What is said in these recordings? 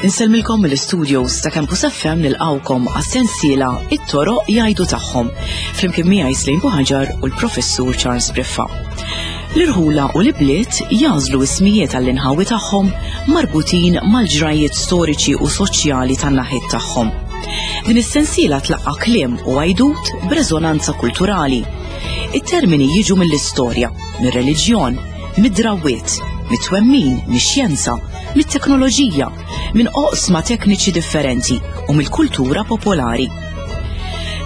Insellmilkom mill-studios ta' Campus FM nilqawkom għas-sensiela It-toroq jgħidu tagħhom flimkien miegħi Slejn Buħaġar u l-Professur Charles Briffa. L-irħula u l-ibliet jażlu ismijiet għall-inħawi tagħhom marbutin mal-ġrajjiet storiċi u soċjali tan-naħiet tagħhom. Din is-sensiela tlaqqa' kliem u għajdut b'reżonanza kulturali. It-termini jiġu mill-istorja, mir-reliġjon, mid-drawwiet, mit-twemmin, mix-xjenza, mit-teknoloġija, minn oqsma tekniċi differenti u mill-kultura popolari.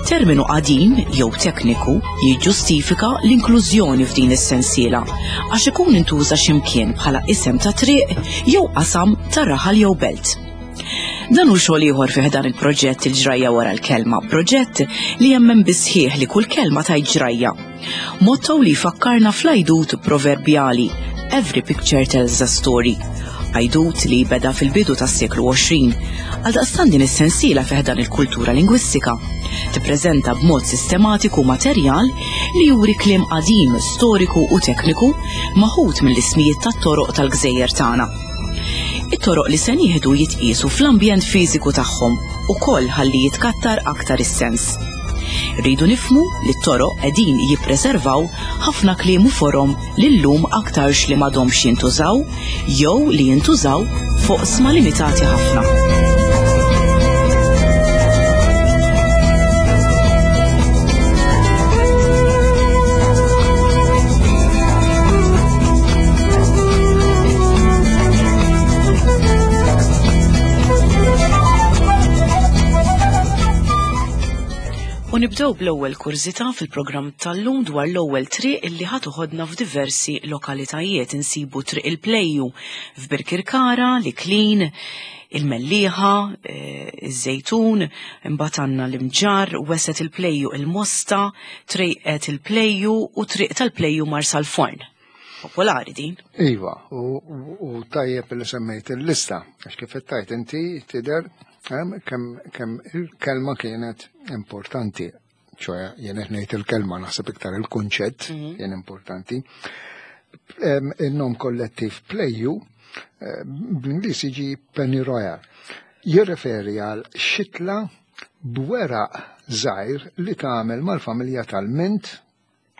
Terminu qadim jew tekniku jiġġustifika l-inklużjoni f'din is-sensiela għax ikun intuża x'imkien bħala isem ta' triq jew qasam ta' raħal jew belt. Dan hu xogħol ieħor fih dan il-proġett il-ġrajja wara l-kelma, proġett li jemmen bisħieħ li kull kelma tajt ġrajja. Motto li jfakkarna fl-għajdut proverbjali Every picture tells a story. Għajdut li beda fil-bidu tas-seklu 20. Għaldaqstant din is-sensiela fih dan il-kultura lingwistika tippreżenta b'mod sistematiku materjal li juri kliem qadim, storiku u tekniku maħud mill-ismijiet tat-toroq tal-gżejjer tagħna. It-toroq li se nieħdu jitqiesu fl-ambjent fiżiku tagħhom ukoll ħalli jitkattar aktar is-sens. Rridu nifhmu li t-toroq qegħdin jippreservaw ħafna kliem u forom li llum aktarx li m'għadhomx jintużaw jew li jintużaw f'oqsma limitati ħafna. U nibdew bl-ewwel kurżità fil-programm tal-lum dwar l-ewwel triq illi ħa toħodna f'diversi lokalitajiet. Insibu Triq il-Plejju f'Birkirkara, l-Iklin, il-Mellieħa, eh, iż-Żejtun, imbagħad għandna l-Imġarr, Weset il-Plejju il-Mosta, Trejqet il-Plejju u Triq tal-Plejju Marsalforn. Popolari din. Iva, u tajjeb li semmejt il-lista, għax kif tajt inti tidher kemm il-kelma kienet importanti. ċoħe, jien qed ngħid il-kelma naħseb iktar il-kunċett mhm. kien importanti. Il-nom kollettiv pleju eh, bl-Ingliż jiġi Penny Royal. Jirreferi għal xitla b'weraq żgħir li tagħmel mal-familja tal-mint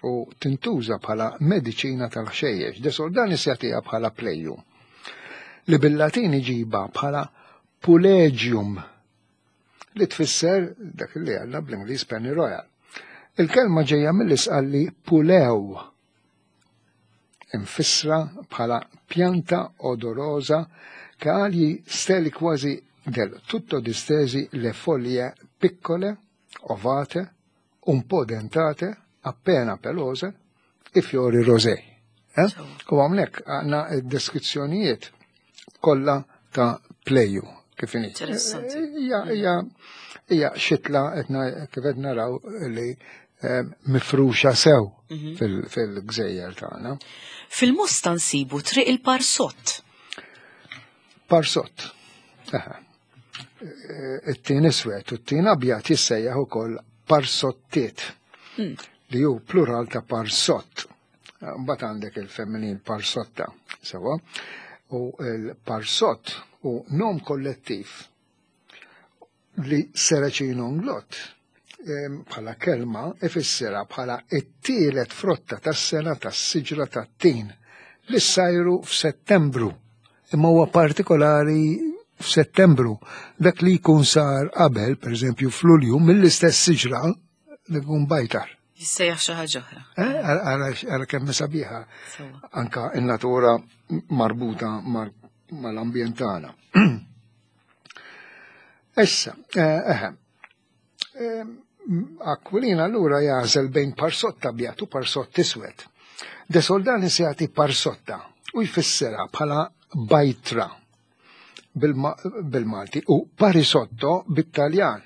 u tintuża bħala mediċina tal-ħxejjex. De Soldanis jagħtiha bħala pleju li bil-Latin iġiba bħala pulegium li tfisser dak li għandna bl-Ingliż Penny Royal. Il-kelma ġejja mill-isqalli pulew imfissra bħala pjanta odorosa che ha gli steli quasi del tutto distesi le foglie piccole, ovate, un po' dentate, appena pelose, i fiori rosei. Eh? U għamlek għanna deskrizzjonijiet kollha ta' pleju kif inhi. Hija hija hija xitla kif qed naraw li eh, mifruxa sew mhm. fil-gżejjer tagħna. Fil-Mosta nsibu triq il-Parsott. Parsott. Eh, it-tin iswed u t-tin abjad jissejjaħ ukoll parsottiet hmm. li hu plural ta' parsott. Mbagħad għandek il-feminin parsotta, sewa. U l-parsott u nom kollettiv li Seracino Nglott bħala kelma ifissirha bħala it-tielet frotta tas-sena tas-siġra tat-tin li ssajru f'Settembru. Imma huwa partikolari f'Settembru. Dak li jkun sar qabel, pereżempju f'Lulju, mill-istess siġra li jkun bajtar. Jissejjaħ xi ħaġa oħra. Eh, ara kemm sabiħa. Anka in-natura marbuta mal-ambjent tagħna. Issa, eh, eh, Aquilina allura jażel bejn parsotta abjad u parsott iswed. De Soldani se jagħti parsotta u jfissirha bħala bajtra bil-Malti u parisotto bit-Taljan.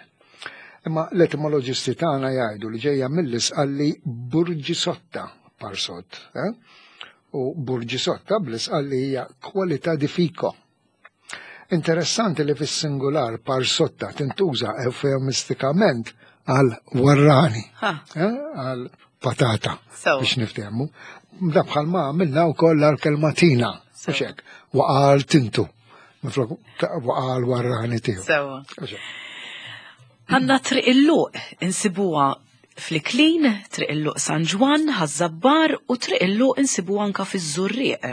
Imma l-etimoloġisti tagħna jgħidu li ġejja mill-isqalli burġisotta parsott. Eh? U burġisotta bl-isqalli hija kwalità di fico. Interessanti li fis-singular parsotta tintuża eufemistikament għal warrani, eh, għal patata biex niftehmu. Da bħalma għamilna wkoll għal kelma tina, mhux hekk, waqal tintu, minflok waqal warrani tiegħu. Sewa. Għandna triq il-luq insibuha fl-Iklin, triq il-luq San Ġwann, Ħaż-Żabbar u triq il-luq insibuha anka fiż-Żurrieq.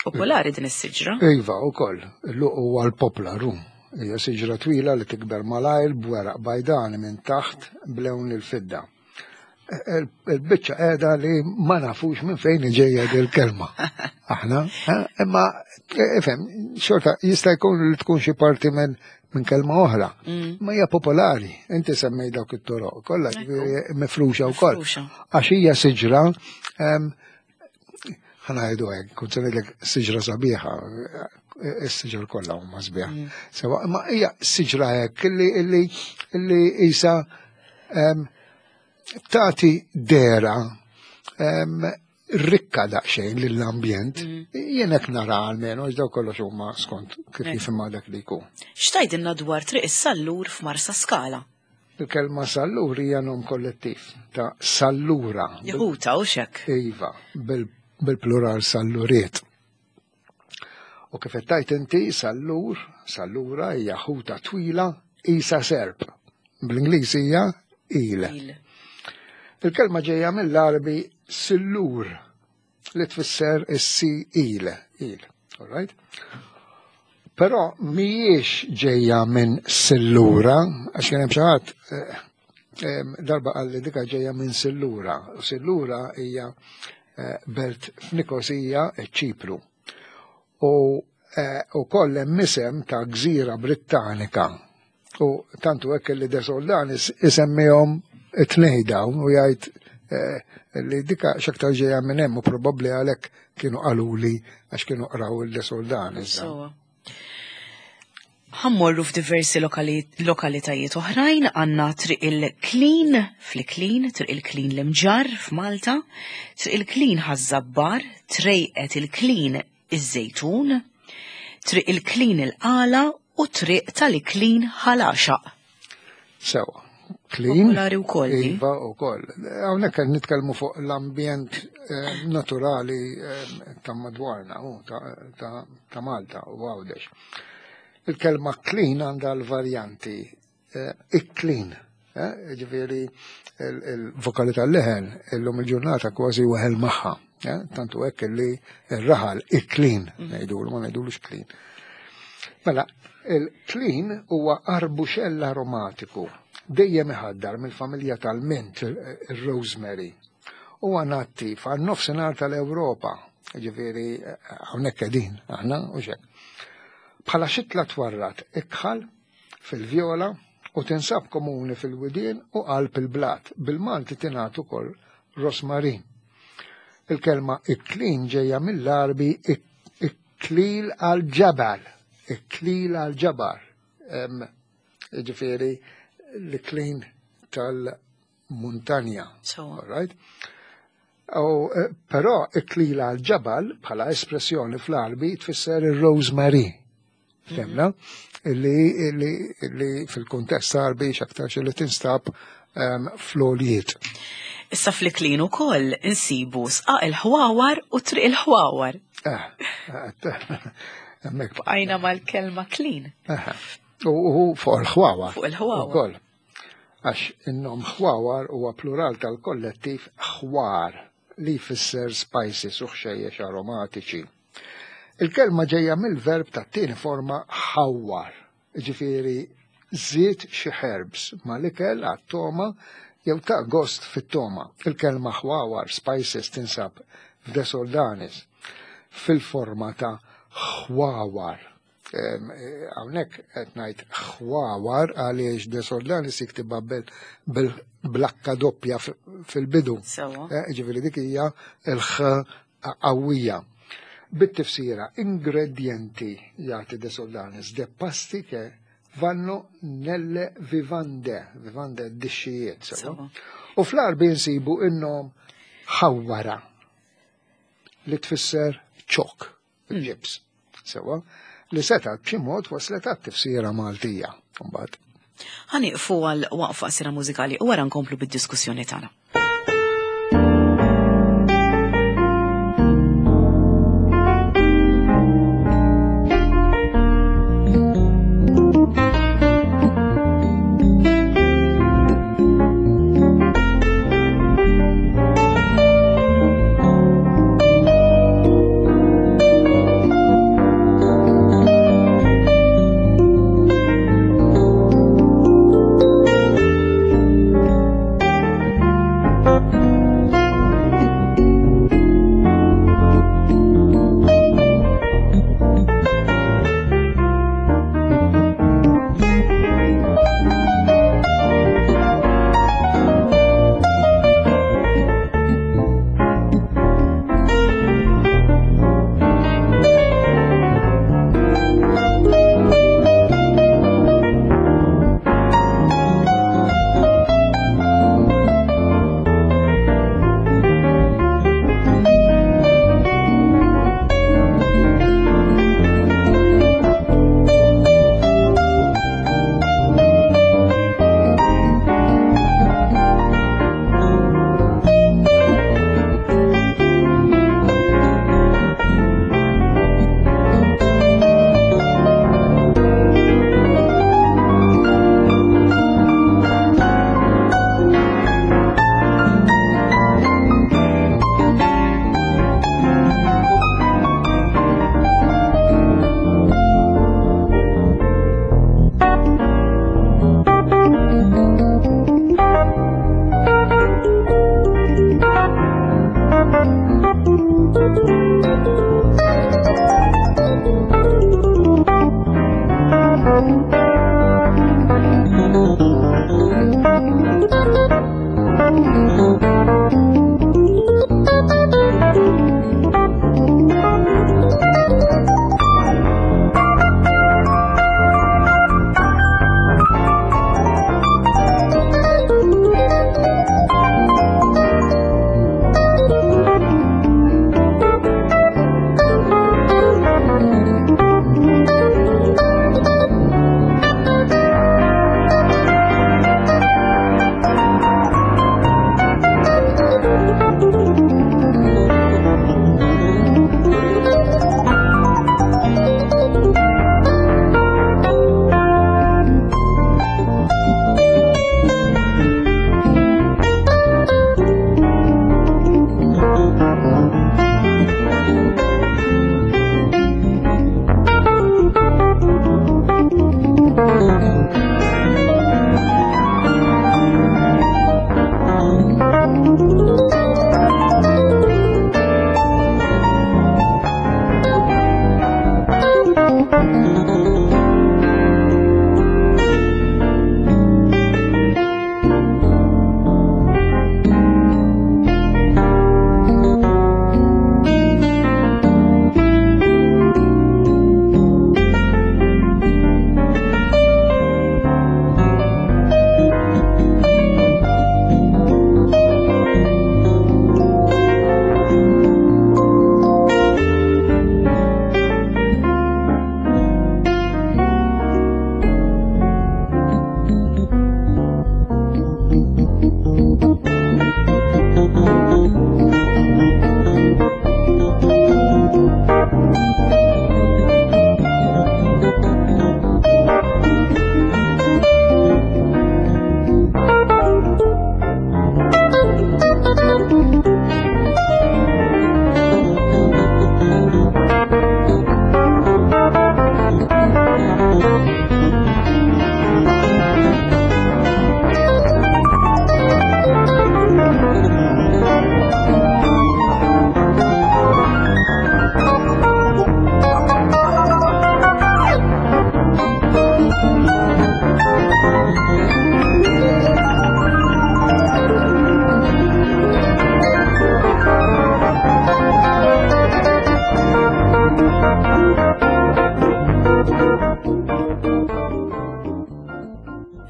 Popolari din is-siġra. Iva, ukoll, il-luq huwa l-poplaru. Hija siġra twila li tikber malajr b'weraq bajdani minn taħt b'lewn il-fidda. Il-biċċa qiegħda li ma nafux minn fejn ġejja il-kelma. Aħna, eh, imma ifhem, xorta jista' jkun li tkun xi parti minn minn kelma oħra. Ma hija popolari, inti semmej dawk it-toroq kollha mifruxa wkoll. Għax hija siġra ħanajdu hekk, kont se ngħidlek siġra sabiħa, is-siġar kollha huma sbieħ. Sewa, ma hija siġra hekk illi illi illi isa tagħti dera rikka daqsxejn lill-ambjent. Jien hekk nara almenu għax daw kollox huma skont kif jifhimha dak li jkun. X'tgħidilna dwar Triq is-Sallur f'Marsa Skala? Il-kelma sallur hija nom kollettiv ta' sallura. Jeħuta u xek. Iva, bil-plural salluriet. U kif qed tgħid inti sallur, sallura hija ħuta twila isa serp. Bl-Ingliż hija il. Il-kelma ġejja mill-Għarbi sillur li tfisser is-si il, il. All right? Però mhijiex ġejja minn sillura, għax kien hemm xi ħadd eh, eh, darba qal li dika ġejja minn sillura. Sillura hija eh, belt f'Nikosija, ċipru. U ukoll hemm isem ta' gżira Brittanika U tantu hekk li De Soldanis isemmihom it-tnej dawn u jgħid eh, li dika x'aktar ġejja minn hemm u probabbli għalhekk kienu qaluli għax kienu qraw il-De Soldanis. Ħammorru f'diversi lokalitajiet oħrajn għandna Triq il-Klin fl-Iklin, Triq il-Klin l-Imġarr f'Malta, Triq il-Klin Ħaż-Żabbar, Trejqet il-Klin iż-Żejtun, Triq il-Klin il-Qala u Triq tal-Iklin Ħal Għaxaq. Sewa. Klin. Popolari wkoll. Iva wkoll. Hawnhekk qed nitkellmu fuq l-ambjent eh, naturali eh, ta' madwarna u ta' Malta u Għawdex. Il-kelma klin għandha l-varjanti eh, ikklin. Eh, ġifieri il-vokali tal-leħen illum il-ġurnata kważi weħel magħha. Eh, tantu hekk li r-raħal ikklin, ngħidulu ma ngħidulux klin. Mela, il-klin huwa arbuxell aromatiku dejjem iħaddar mill-familja tal-mint, il-rosemary. Huwa nattiv għan-nofsinhar tal-Ewropa, ġifieri hawnhekk qegħdin aħna u xek. Bħala xitla twarrat ikħal fil-vjola u tinsab komuni fil-widien u qalb il-blat. Bil-Malti tingħad ukoll rosmarin. Il-kelma iklin ġejja mill-Għarbi iklil għal-ġabal, iklil għal-ġabar. Ġifieri l-iklin tal-muntanja. So. Right? U, eh, però iklil għal-ġabal bħala espressjoni fl-Għarbi tfisser ir-rosemary. Femna, li, li, li fil-kuntest Għarbi x'aktarx li tinstab um, fl-għoljiet. Issa fl-Iklin ukoll insibu sqaq il-ħwawar u triq il-ħwawar. Eh, eh, hemmhekk. Bqajna mal-kelma klin. Eh, u fuq il-ħwawar. Fuq il-ħwawar. Ukoll. Għax in-nom ħwawar huwa plural tal-kollettiv ħwar li jfisser spices u ħxejjex aromatiċi. Il-kelma ġejja mill-verb tat-tieni forma ħawwar, jiġifieri żied xi herbs mal-ikel għat-togħma jew ta' gost fit-togħma. Il-kelma ħwawar, spices, tinsab f'De Soldanis fil-forma ta' ħwawar. Eh, hawnhekk qed ngħid ħwawar għaliex De Soldanis jiktibha bil-blakka doppja fil-bidu. Eh, ġifieri dik hija l-ħ qawwija. Bit-tifsira ingredjenti jagħti De Soldanis de pasti che vanno nelle vivande, vivande dixxijiet. Sewa. U fl-Għarbi nsibu in-nom ħawwara li tfisser ċok, ġibs. Sewa, li setgħet b'xi mod waslet għat-tifsira Maltija. Mbagħad. Ħa nieqfu għal waqfa qasira mużikali u wara nkomplu bid-diskussjoni tagħna.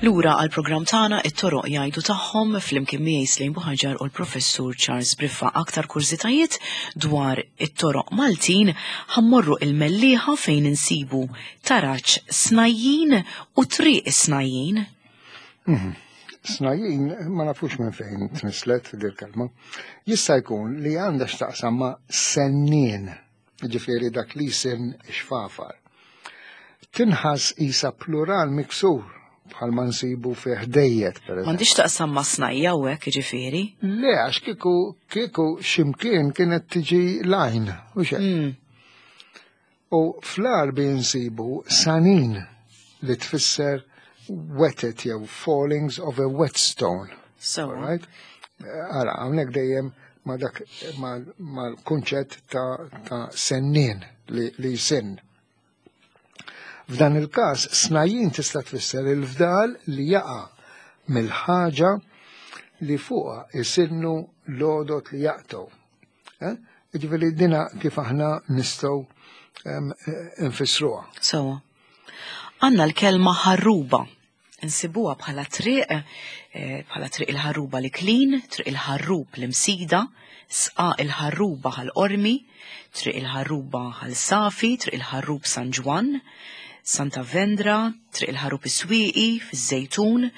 Lura għal programm tagħna it-toroq jgħidu tagħhom flimkien miegħi Slejn Buħaġar u l-Professur Charles Briffa aktar kurżitajiet dwar it-toroq Maltin ħammorru il-Mellieħa fejn insibu taraġ Snajjin u Triq Snajjin. Mhm. Snajjin ma nafux minn fejn tnislet dil-kelma. Jista' jkun li għandha x'taqsam ma' sennien, ġifieri dak li jsin xfafar. Tinħass isa plural miksur bħal ma nsibu fih dejjet, per eżempju. M'għandix taqsam ma' snajja u hekk jiġifieri. Le, għax kieku kieku x'imkien kienet tiġi lajn, u xejn. U fl-Għarbi nsibu sanin li tfisser wetted jew fallings of a whetstone. So. Right? Ara, hawnhekk dejjem ma dak mal-kunċett ta', ta sennien li, li jsinn. F'dan il-każ, snajjin tista' tfisser il-fdal li jaqa' mill-ħaġa li fuqha isinnu l-għodod li jaqtgħu. Eh? Ġifieri dina kif aħna nistgħu nfissruha. Sewa. Għandna l-kelma ħarruba. Insibuha bħala triq, eh, bħala triq il-ħarruba li klin, triq il-ħarrub li msida, sqa il-ħarruba ħal-qormi, triq il-ħarruba ħal-safi, triq il-ħarrub San Ġwann, Santa Vendra, triq il-ħarrub is-Swieqi, fiż-Żejtun,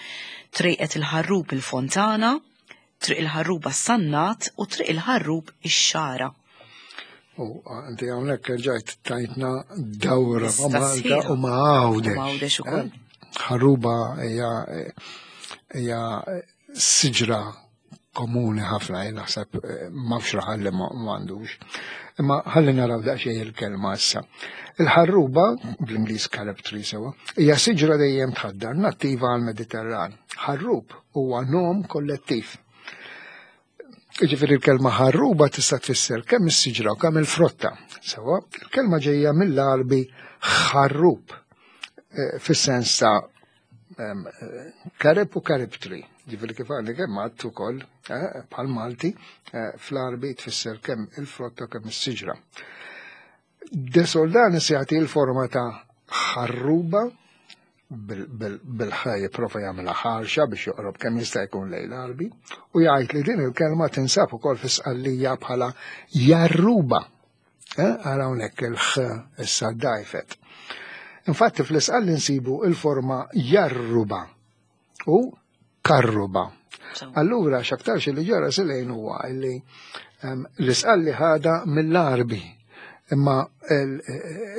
triqet il-ħarrub il-Fontana, Triq il-Ħarruba s-Sannat u Triq il-Ħarrub ix-Xagħra. U inti hawnhekk erġajt tajtna dawra ma' Malta u ma' Għawdex. Ma' Għawdex ukoll. Eh? Ħarruba hija hija siġra komuni ħafna, jien naħseb eh, m'hawnx raħal li m'għandux. Imma ħalli naraw daqsxejn il-kelma issa. Il-ħarruba, bl-Ingliż carob tree sewa, hija siġra dejjem tħaddar nattiva għall-Mediterran. Ħarrub huwa nom kollettiv. Jiġifieri l-kelma ħarruba tista' tfisser kemm is-siġra u kemm il-frotta. Sewa, il-kelma ġejja mill-Għarbi ħarrub eh, fis-sens ta' karib u karib tree. Ġifieri kif għandi kemm għadd ukoll eh, bħal Malti eh, fl-Għarbi tfisser kemm il-frotta kemm is-siġra. De Soldanis jagħti l-forma ta' ħarruba bil-ħaj jipprova jagħmilha ħarxa biex joqrob kemm jista' jkun lejn l-Għarbi u jgħid li din il-kelma tinsab ukoll fi Sqallija bħala jarruba. Eh, ara hawnhekk il-ħ issa dajfet. Infatti fl-Isqalli nsibu il-forma jarruba u karruba. Allura x'aktarx li ġara silejn huwa li ehm, l-isqalli ħada mill-Arbi imma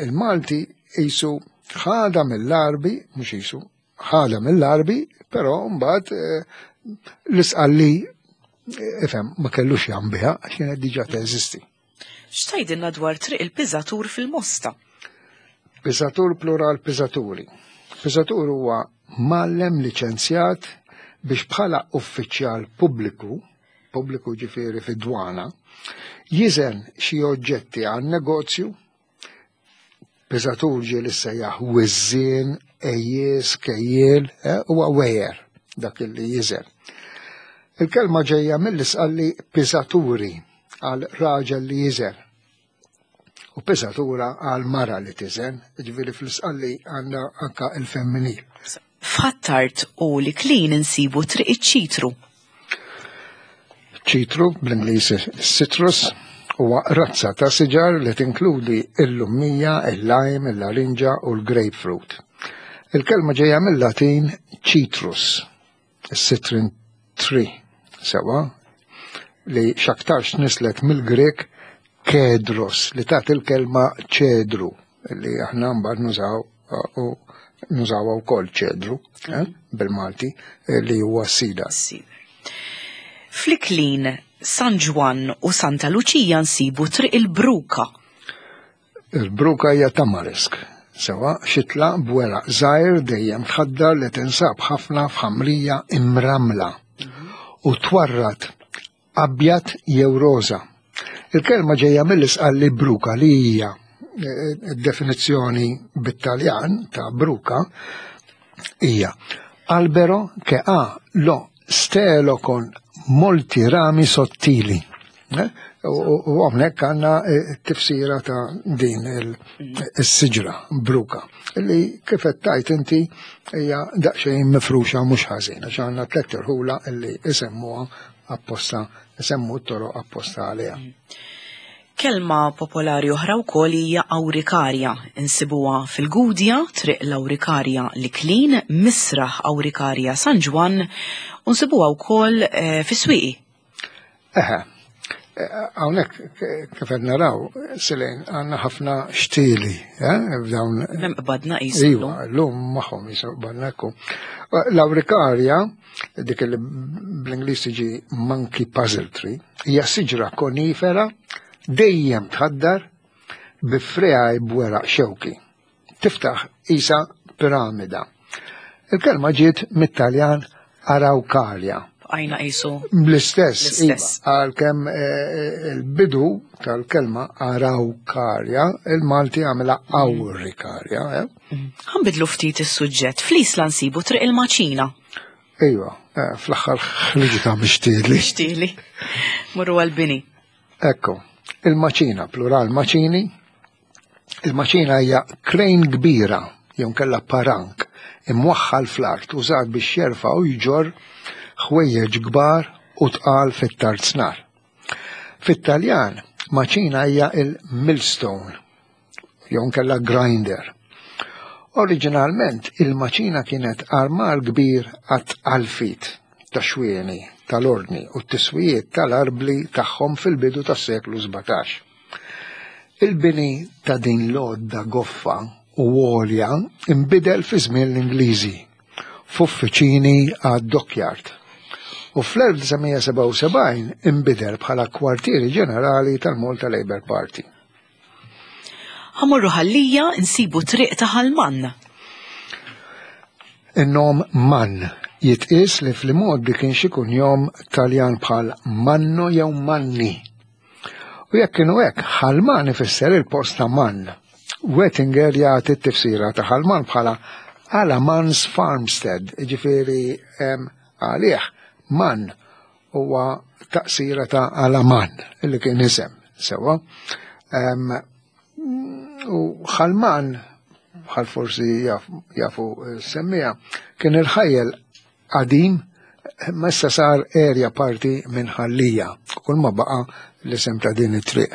il-Malti jisu ħada mill-Arbi, mhux jisu, ħada mill-Arbi, però mbagħad eh, l-isqalli eh, ifhem ma kellux jambiha għax kienet diġà teżisti. X'tgħidilna dwar Triq il-Piżatur fil-Mosta? Piżatur plural piżaturi. Piżatur huwa mgħallem liċenzjat biex bħala uffiċjal pubbliku, pubbliku ġifieri fid-dwana, jiżen xi oġġetti għan-negozju Piżatur ġie li sejjaħ wiżżien, ejjies, kejjiel, eh, huwa wejer dak li jiżen. Il-kelma ġejja mill-isqalli piżaturi għal raġel li jiżen u piżatura għal mara li tiżen, ġifieri fl-isqalli għandna anka il-femminil. F'Ħ'Attard u l-Iklin insibu Triq iċ-Ċitru. Ċitru, bl-Ingliż citrus, huwa razza ta' siġar li tinkludi l-lummija, il-lime, il-larinġa u l-grapefruit. Il-kelma ġejja mill-Latin citrus, citron tree, sewa, li x'aktarx tnisslet mill-Grieg kedros li tagħti l-kelma ċedru li aħna mbagħad nużaw u nużawha wkoll ċedru eh, bil-Malti eh, li huwa sida. Fl-Iklin, San Ġwann u Santa Luċija nsibu Triq il-Bruka. Il-bruka hija tamarisk, sewa xitla b'weraq żgħir dejjem tħaddar li tinsab ħafna f'ħamrija imramla u twarrad abjad jew roża. Il-kelma ġejja mill-isqalli bruka li hija eh, definizzjoni bit-Taljan ta' bruka hija albero che ha lo stelo con molti rami sottili. Eh? U hawnhekk għandna eh, tifsira ta' din il-siġra bruka li kif qed tajt inti hija daqsxejn mifruxa mhux ħażin għax għandna tliet irħula li isemmuha apposta isemmu t-toroq apposta għaliha. Kelma popolari oħra wkoll hija awrikarja. Insibuha fil-Gudja, Triq l-Awrikarja l-Iklin, Misraħ Awrikarja San Ġwann u nsibuha wkoll eh, fis-Swieqi. Eħe, eh, hawnhekk kif qed naraw, Silejn, għandna ħafna xtieli, eh, f'dawn. Hemm qbadna qisu. Iva, llum magħhom qisu qbadna ekku. L-awrikarja, dik li bl-Ingliż tiġi monkey puzzle tree, hija siġra konifera dejjem tħaddar bi friegħi b'weraq xewki. Tiftaħ isa piramida. Il-kelma ġiet mit-Taljan araucaria. Għajna qisu. L-istess, iva, għalkemm eh, eh, il-bidu tal-kelma araucaria, il-Malti għamela auricaria. Eh? Ħanbidlu ftit is-suġġett. Fl-Isla nsibu triq il-maċina. Iva, eh, fl-aħħar ħriġita mixtieli. Mixtieli. Morru għal-bini. Ekku, il-maċina, plural maċini. Il-maċina hija krejn kbira, jew kella parank, imwaħħal fl-art użat biex jerfa' u jġorr ħwejjeġ kbar u tqal fit-tarznar. Fit-Taljan, maċina hija il-millstone, jew inkella grinder. Oriġinalment il-maċina kienet armar kbir għat-tqalfit ta' xwieni tal-ordni u t-tiswijiet tal-arbli tagħhom fil-bidu tas-seklu 17. Il-bini ta' din l-għodda goffa u għolja nbidel fi żmien l-Ingliżi f'uffiċini għad-dockyard u fl-1977 inbidel bħala kwartieri ġenerali tal-Malta Labour Party. Ħamorru ħallija nsibu triq ta' Ħalman. In-nom Mann jitqies li fl-imgħoddi kien xi kunjom Taljan bħal Manno jew Manni. U jekk kienu hekk, Ħalman ifisser il-post ta' Mann. Wettinger jagħti t-tifsira ta' Ħalman bħala Alamans Farmstead, ġifieri għalih Mann huwa taqsira ta' Alaman, illi kien isem, sewa. U Ħalman, bħal forsi jafu semmija, kien il-ħajjel qadim ma issa sar area parti minn Ħallija, kull ma baqa l-isem ta' din it-triq.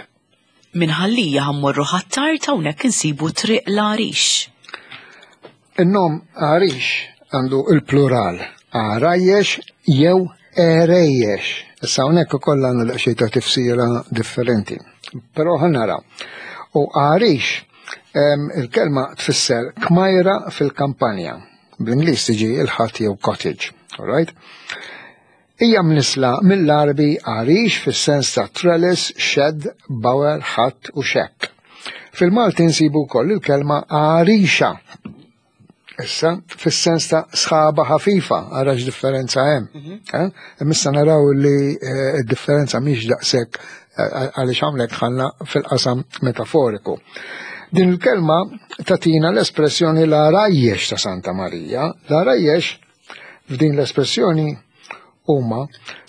Minn Ħallija ħammorru Ħ'Attard hawnhekk insibu Triq l-Għarix. In-nom Għarix għandu il-plural għarajjex jew għerejjex. Issa hawnhekk ukoll għandna daqsxejn ta' tifsira differenti. Però ħa naraw. U għarix il-kelma tfisser kmajra fil-kampanja. Bl-Ingliż tiġi il-ħadd jew cottage. All right? Hija mnissla mill-Għarbi għarix fis-sens ta' trellis, shed, bower, ħatt u xekk. Fil-Malti nsibu wkoll il-kelma għarixa. Issa, fis-sens ta' sħaba ħafifa, ara x'differenza hemm. Mhm. Eh? Issa naraw li eh, d-differenza mhix daqshekk eh, għaliex hawnhekk ħalna fil-qasam metaforiku. Din il-kelma tatina l-espressjoni la rajjex ta' Santa Marija. La rajjex F'din l-espressjoni huma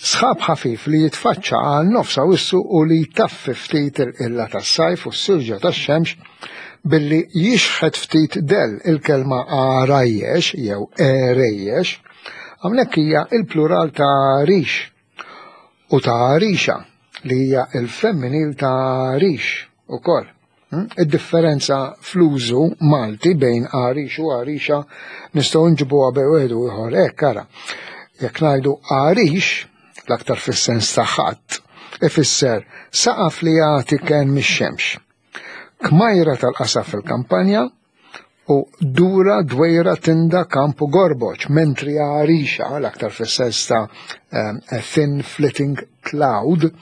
sħab ħafif li jitfaċċa għal nofs Awwissu u li jtaffi ftit il-qilla tas-sajf u s-silġa tax-xemx billi jixħet ftit dell il-kelma għarajjex jew għerejjex, hawnhekk hija il-plural ta' għarix u ta' għarixa li hija il-femminil ta' għarix ukoll. Hmm? Id-differenza fl-użu Malti bejn għarix u għarixa nistgħu nġibuha bejn wieħed u ieħor hekk ara. Jekk ngħidu għarix, l-aktar fis-sens ta' ħadd, ifisser saqaf li jagħti ken mix-xemx. Kmajra tal-qasaf fil-kampanja u dura dwejra tinda kamp u gorboċ, mentri għarixa, l-aktar fis-sens ta' a thin flitting cloud,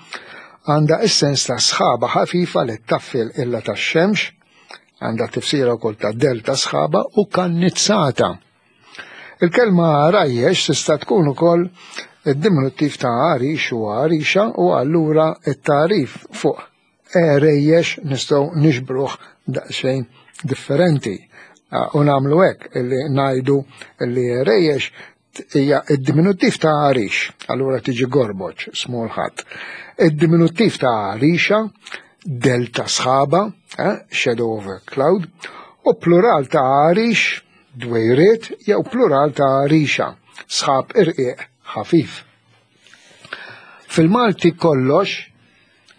għandha is-sens ta' sħaba ħafifa li taffi l-qilla tax-xemx, għandha tifsira wkoll ta' delta sħaba u kannizzata. Il-kelma għarajjex tista' tkun ukoll id-diminuttiv ta' għarix u għarixa u allura it-tagħrif fuq għerejjex nistgħu nixbruh daqsxejn differenti. U nagħmlu hekk illi ngħidu li għerejjex hija id-diminuttiv ta' għarix, allura tiġi gorboċ, small hat. Id-diminuttiv ta' għarixa, delta sħaba, eh, shadow over cloud, u plural ta' għarix, dwejriet, jew plural ta' għarixa, sħab irqiq ħafif. Fil-Malti kollox,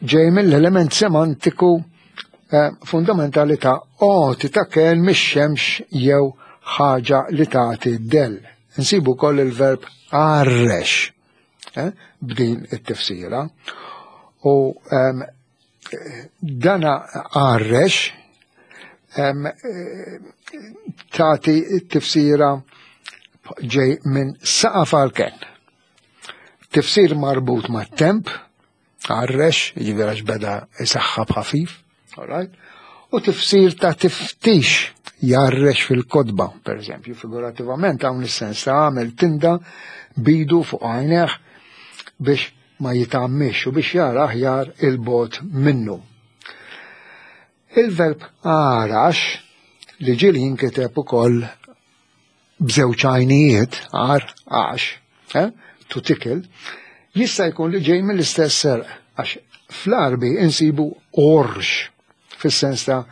ġej mill-element semantiku eh, fundamentali ta' għoti ta' ken mix-xemx jew ħaġa li tagħti del. Insibu koll il-verb għarrex eh, b'din it-tifsira. U ehm, dana għarrex ehm, eh, tagħti t-tifsira ġej minn saqaf għal ken. Tifsir marbut ma' temp, għarrex, jiġifieri għax beda isaħħab ħafif, alright? U tifsir ta' tiftix jarrex fil-kodba, per eżempju, figurativament hawn is-sens ta' għamel tinda bidu fuq għajneh biex ma jitammix u biex jara aħjar il-bot minnu. Il-verb għarax li ġieli jinkiteb ukoll b'żewġ għajnijiet, għar, għax, eh, to tickle, jista' jkun li ġej mill-istess serq, għax fl-Arbi insibu orx, fis-sens ta'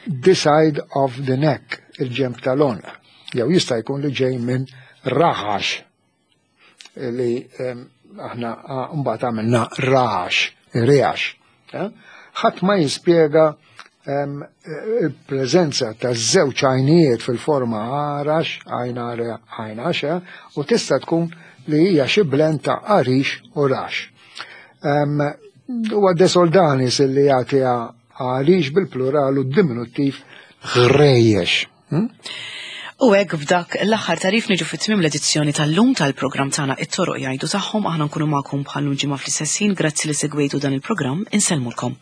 the side of the neck, il-ġemp tal-għonq. Jew jista' jkun li ġej minn raħax, li aħna mbagħad għamilna rax, reax. Eh? Ħadd ma jispjega il-preżenza ta' żewġ għajnijiet fil-forma għarax, għajna għajnax, eh? u tista' tkun li hija xi blend ta' għarix u rax. Huwa desoldanis li jagħti għarix bil-plural u diminuttiv ħrejjex. Hmm? U hekk f'dak l-aħħar tarif niġu fit-tmiem l-edizzjoni tal-lum tal-programm tagħna it-toroq jgħidu tagħhom aħna nkunu magħkom bħal ġimgħa fl-istess ħin grazzi li segwejtu dan il-programm insellmulkom.